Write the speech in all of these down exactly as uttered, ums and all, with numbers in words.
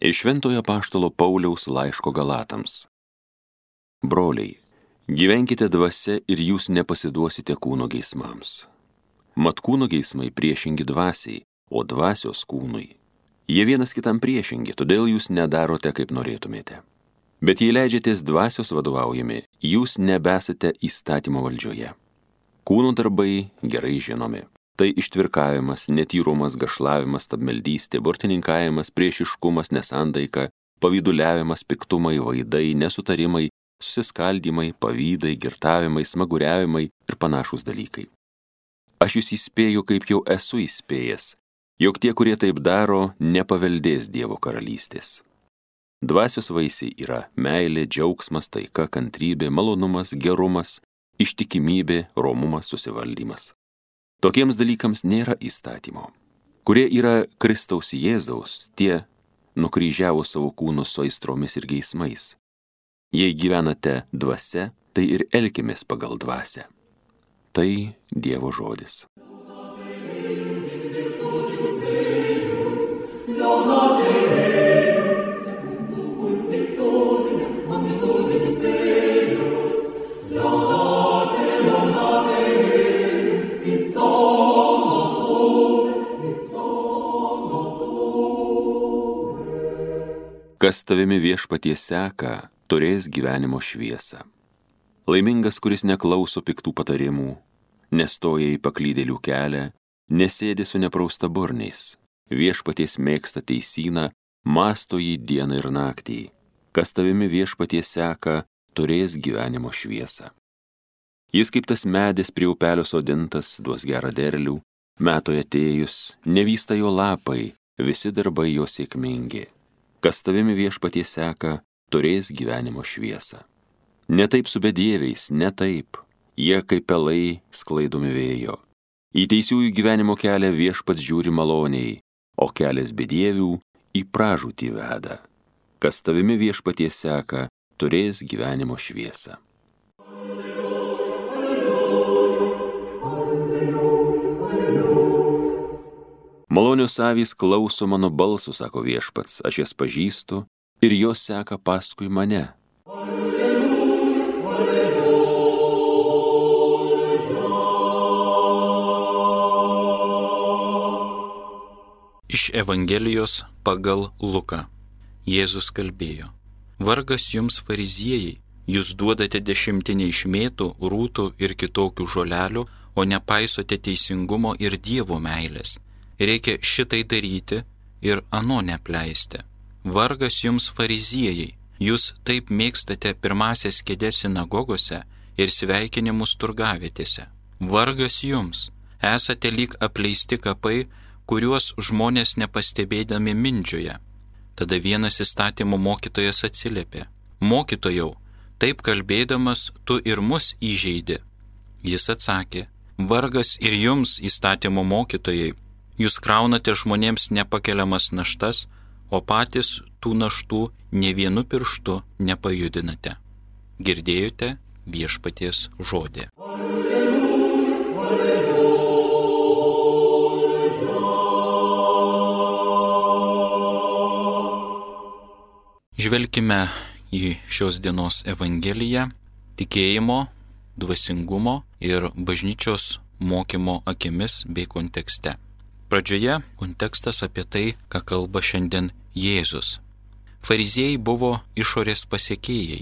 Iš Šventojo Apaštalo Pauliaus laiško Galatams. Broliai, gyvenkite dvasia ir jūs nepasiduosite kūno geismams. Mat kūno geismai priešingi dvasiai, o dvasios kūnui. Jie vienas kitam priešingi, todėl jūs nedarote, kaip norėtumėte. Bet jei leidžiatės dvasios vadovaujami, jūs nebesate įstatymo valdžioje. Kūno darbai gerai žinomi. Tai ištvirkavimas, netyrumas, gašlavimas, stabmeldystė, burtininkavimas, priešiškumas, nesantaika, pavyduliavimas, piktumai, vaidai, nesutarimai, susiskaldymai, pavydai, girtavimai, smaguriavimai ir panašūs dalykai. Aš jūs įspėju, kaip jau esu įspėjęs, jog tie, kurie taip daro, nepaveldės Dievo karalystės. Dvasios vaisiai yra meilė, džiaugsmas, taika, kantrybė, malonumas, gerumas, ištikimybė, romumas, susivaldymas. Tokiems dalykams nėra įstatymo. Kurie yra Kristaus Jėzaus, tie nukryžiavo savo kūnus su aistromis ir geismais. Jei gyvenate dvasia, tai ir elkimės pagal dvasią. Tai Dievo žodis. Kas tavimi Viešpatie seka, turės gyvenimo šviesą. Laimingas, kuris neklauso piktų patarimų, nestoja į paklydėlių kelią, nesėdi su nepraustaburniais, Viešpaties mėgsta teisyną, mąsto jį dieną ir naktį. Kas tavimi Viešpatie seka, turės gyvenimo šviesą. Jis kaip tas medis prie upelio sodintas, duos gerą derlių, metui atėjus, nevysta jo lapai, visi darbai jo sėkmingi. Kas tavimi Viešpatie seka, turės gyvenimo šviesą. Ne taip su bedieviais, ne taip, jie kaip pelai sklaidomi vėjo. Į teisiųjų gyvenimo kelią Viešpats žiūri maloniai, o kelias bedievių į pražūtį veda. Kas tavimi Viešpatie seka, turės gyvenimo šviesą. Malonios avys klauso mano balsų, sako Viešpats, aš jas pažįstu ir jos seka paskui mane. Iš Evangelijos pagal Luką. Jėzus kalbėjo: Vargas jums, fariziejai, jūs duodate dešimtinę iš mėtų, rūtų ir kitokių žolelių, o nepaisote teisingumo ir Dievo meilės. Reikia šitai daryti ir ano neapleisti. Vargas jums, fariziejai, jūs taip mėgstate pirmasias kėdes sinagogose ir sveikinimus turgavietėse. Vargas jums, esate lyg apleisti kapai, kuriuos žmonės nepastebėdami mindžioja. Tada vienas įstatymo mokytojas atsiliepė: Mokytojau, taip kalbėdamas tu ir mus įžeidi. Jis atsakė: Vargas ir jums, įstatymo mokytojai, jūs kraunate žmonėms nepakeliamas naštas, o patys tų naštų nė vienu pirštu nepajudinate. Girdėjote Viešpaties žodį. Žvelkime į šios dienos Evangeliją tikėjimo, dvasingumo ir bažnyčios mokymo akimis bei kontekste. Pradžioje kontekstas apie tai, ką kalba šiandien Jėzus. Fariziejai buvo išorės pasiekėjai.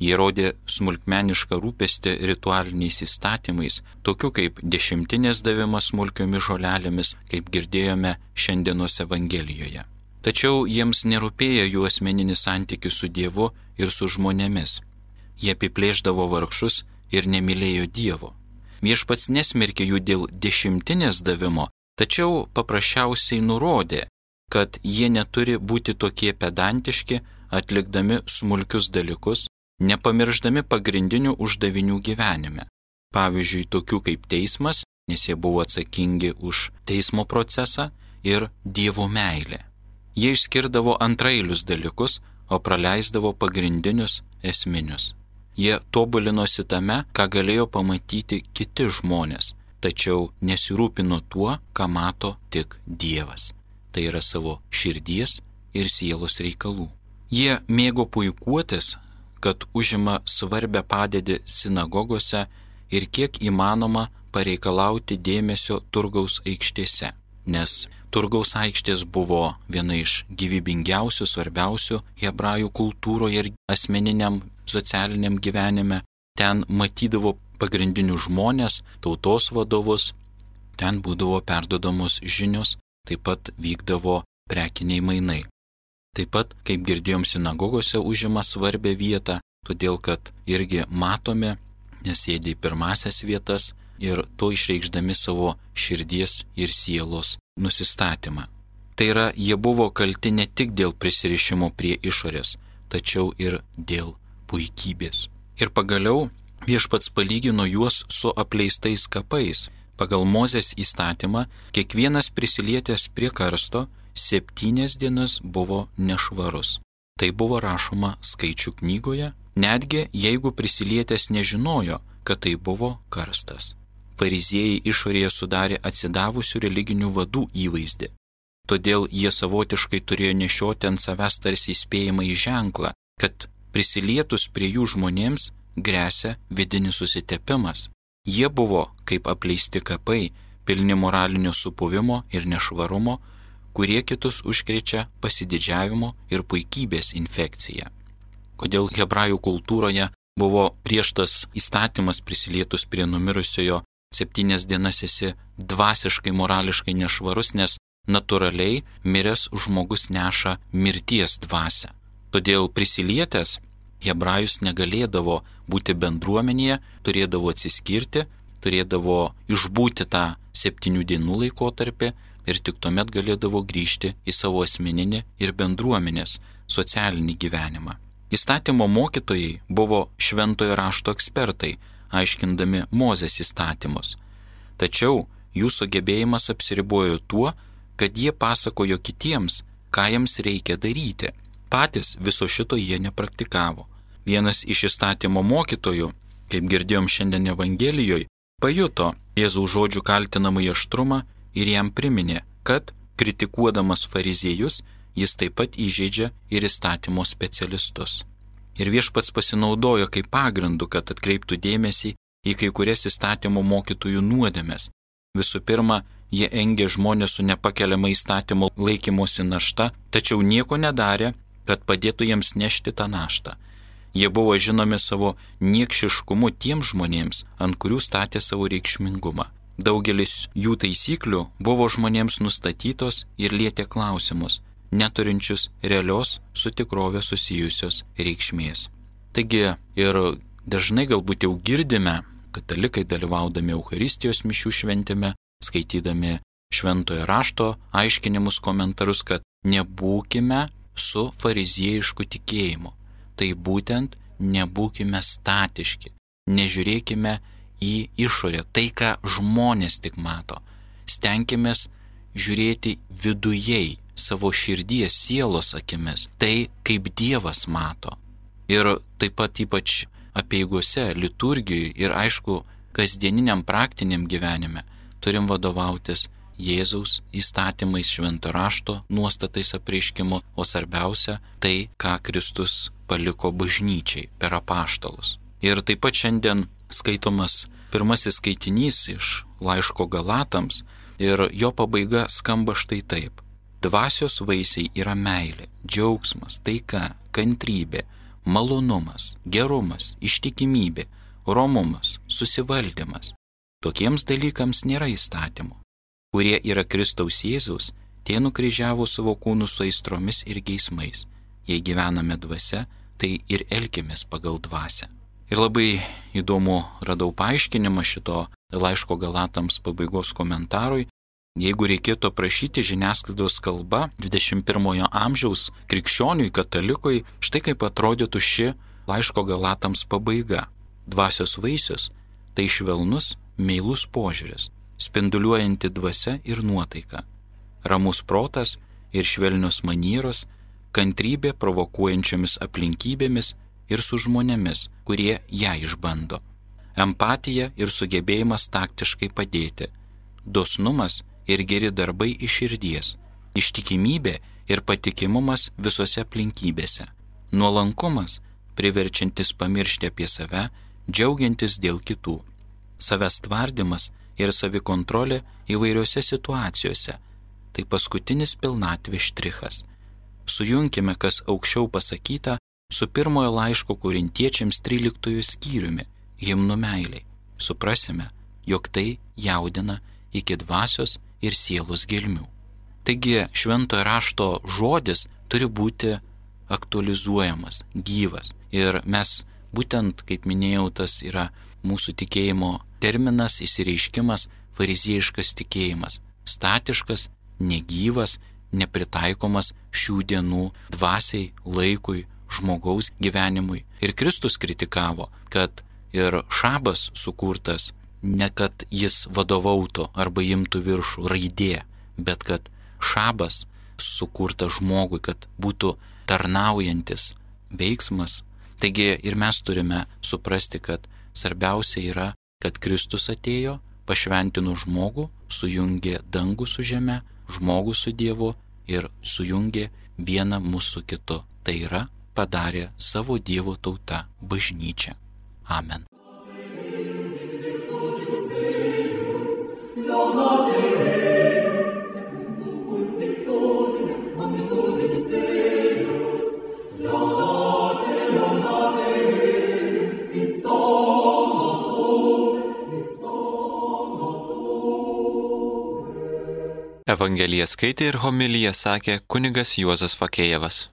Jie rodė smulkmenišką rūpestį ritualiniais įstatymais, tokių kaip dešimtinės davimas smulkiomis žolelėmis, kaip girdėjome šiandienos Evangelijoje. Tačiau jiems nerūpėjo jų asmeninis santykis su Dievu ir su žmonėmis. Jie apiplėšdavo vargšus ir nemylėjo Dievo. Viešpats nesmerkė jų dėl dešimtinės davimo, tačiau paprasčiausiai nurodė, kad jie neturi būti tokie pedantiški, atlikdami smulkius dalykus, nepamirždami pagrindinių uždavinių gyvenime. Pavyzdžiui, tokių kaip teismas, nes jie buvo atsakingi už teismo procesą, ir Dievo meilė. Jie išskirdavo antrailius dalykus, o praleisdavo pagrindinius esminius. Jie tobulinosi tame, ką galėjo pamatyti kiti žmonės, tačiau nesirūpino tuo, ką mato tik Dievas. Tai yra savo širdies ir sielos reikalų. Jie mėgo puikuotis, kad užima svarbę padėtį sinagogose ir kiek įmanoma pareikalauti dėmesio turgaus aikštėse, nes turgaus aikštės buvo viena iš gyvybingiausių, svarbiausių hebrajų kultūroje ir asmeniniam socialiniam gyvenime. Ten matydavo pagrindinius žmonės, tautos vadovus, ten būdavo perdodamos žinios, taip pat vykdavo prekiniai mainai. Taip pat, kaip girdėjom, sinagogose užima svarbę vietą, todėl kad irgi matome, nes sėdi į pirmasias vietas ir to išreikšdami savo širdies ir sielos nusistatymą. Tai yra, jie buvo kalti ne tik dėl prisirišimo prie išorės, tačiau ir dėl puikybės. Ir pagaliau viešpats palygino juos su apleistais kapais. Pagal Mozės įstatymą, kiekvienas prisilietęs prie karsto septynias dienas buvo nešvarus. Tai buvo rašoma Skaičių knygoje, netgi jeigu prisilietęs nežinojo, kad tai buvo karstas. Fariziejai išorėje sudarė atsidavusių religinių vadų įvaizdį. Todėl jie savotiškai turėjo nešioti ant savęs tarsi įspėjamąjį ženklą, kad prisilietus prie jų žmonėms gresia vidinis susitepimas. Jie buvo kaip apleisti kapai, pilni moralinio supuvimo ir nešvarumo, kurie kitus užkrečia pasididžiavimo ir puikybės infekcija. Kodėl hebrajų kultūroje buvo prieštas įstatymas prisilietus prie numirusiojo septynias dienas esi dvasiškai, morališkai nešvarus, nes natūraliai miręs žmogus neša mirties dvasią. Todėl prisilietęs hebrajus negalėdavo būti bendruomenėje, turėdavo atsiskirti, turėdavo išbūti tą septynių dienų laikotarpį ir tik tuomet galėdavo grįžti į savo asmeninį ir bendruomenės socialinį gyvenimą. Įstatymo mokytojai buvo šventojo rašto ekspertai, aiškindami Mozės įstatymus. Tačiau jų sugebėjimas apsiribojo tuo, kad jie pasakojo kitiems, ką jiems reikia daryti. Patys viso šito jie nepraktikavo. Vienas iš įstatymo mokytojų, kaip girdėjom šiandien Evangelijoje, pajuto Jėzaus žodžių kaltinamąjį aštrumą ir jam priminė, kad, kritikuodamas fariziejus, jis taip pat įžeidžia ir įstatymo specialistus. Ir viešpats pasinaudojo kaip pagrindu, kad atkreiptų dėmesį į kai kurias įstatymo mokytojų nuodėmes. Visų pirma, jie engė žmonės su nepakeliama įstatymo laikymosi našta, tačiau nieko nedarė, kad padėtų jiems nešti tą naštą. Jie buvo žinomi savo niekšiškumu tiems žmonėms, ant kurių statė savo reikšmingumą. Daugelis jų taisyklių buvo žmonėms nustatytos ir lietė klausimus, neturinčius realios su tikrove susijusios reikšmės. Taigi ir dažnai galbūt jau girdime, katalikai dalyvaudami Eucharistijos mišių šventime, skaitydami šventojo rašto aiškinimus komentarus, kad nebūkime su fariziejišku tikėjimu. Tai būtent nebūkime statiški, nežiūrėkime į išorę, tai ką žmonės tik mato. Stenkimės žiūrėti vidujei, savo širdies, sielos akimis, tai kaip Dievas mato. Ir taip pat ypač apeigose, liturgijoje ir aišku, kasdieniniam praktiniam gyvenime turim vadovautis Jėzaus įstatymais, švento rašto nuostatais apreiškimu, o svarbiausia tai, ką Kristus paliko bažnyčiai per apaštalus. Ir taip pat šiandien skaitomas pirmasis skaitinys iš laiško Galatams ir jo pabaiga skamba štai taip. Dvasios vaisiai yra meilė, džiaugsmas, taika, kantrybė, malonumas, gerumas, ištikimybė, romumas, susivaldymas. Tokiems dalykams nėra įstatymų. Kurie yra Kristaus Jėzaus, tie nukryžiavo savo kūnus su aistromis ir geismais. Jei gyvename dvasia, tai ir elkimės pagal dvasią. Ir labai įdomu radau paaiškinimą šito laiško Galatams pabaigos komentarui. Jeigu reikėtų aprašyti žiniasklaidos kalba dvidešimt pirmojo amžiaus krikščioniui, katalikui, štai kaip atrodytų ši laiško Galatams pabaiga. Dvasios vaisius – tai švelnus, meilus požiūris, spinduliuojanti dvasia ir nuotaika, ramus protas ir švelnios manieros, kantrybė provokuojančiomis aplinkybėmis ir su žmonėmis, kurie ją išbando, empatija ir sugebėjimas taktiškai padėti, dosnumas ir geri darbai iš širdies, ištikimybė ir patikimumas visose aplinkybėse. Nuolankumas, priverčiantis pamiršti apie save, džiaugiantis dėl kitų. Savęs tvardymas ir savikontrolė įvairiose situacijose. Tai paskutinis pilnatvės štrichas. Sujunkime, kas aukščiau pasakyta, su pirmojo laiško Korintiečiams tryliktuoju skyriumi, himnu meiliai. Suprasime, jog tai jaudina iki dvasios ir sielos gelmių. Taigi šventojo rašto žodis turi būti aktualizuojamas, gyvas. Ir mes būtent, kaip minėjau, tas yra mūsų tikėjimo terminas, išsireiškimas, fariziejiškas tikėjimas. Statiškas, negyvas, nepritaikomas šių dienų dvasiai, laikui, žmogaus gyvenimui. Ir Kristus kritikavo, kad ir šabas sukurtas ne kad jis vadovautų arba imtų viršų raidė, bet kad šabas sukurtas žmogui, kad būtų tarnaujantis veiksmas. Taigi ir mes turime suprasti, kad svarbiausia yra, kad Kristus atėjo, pašventino žmogų, sujungė dangų su žeme, žmogų su Dievu ir sujungė vieną mūsų kitu. Tai yra padarė savo Dievo tauta, bažnyčia. Amen. Evangeliją skaitė ir homiliją sakė kunigas Juozas Fakėjevas.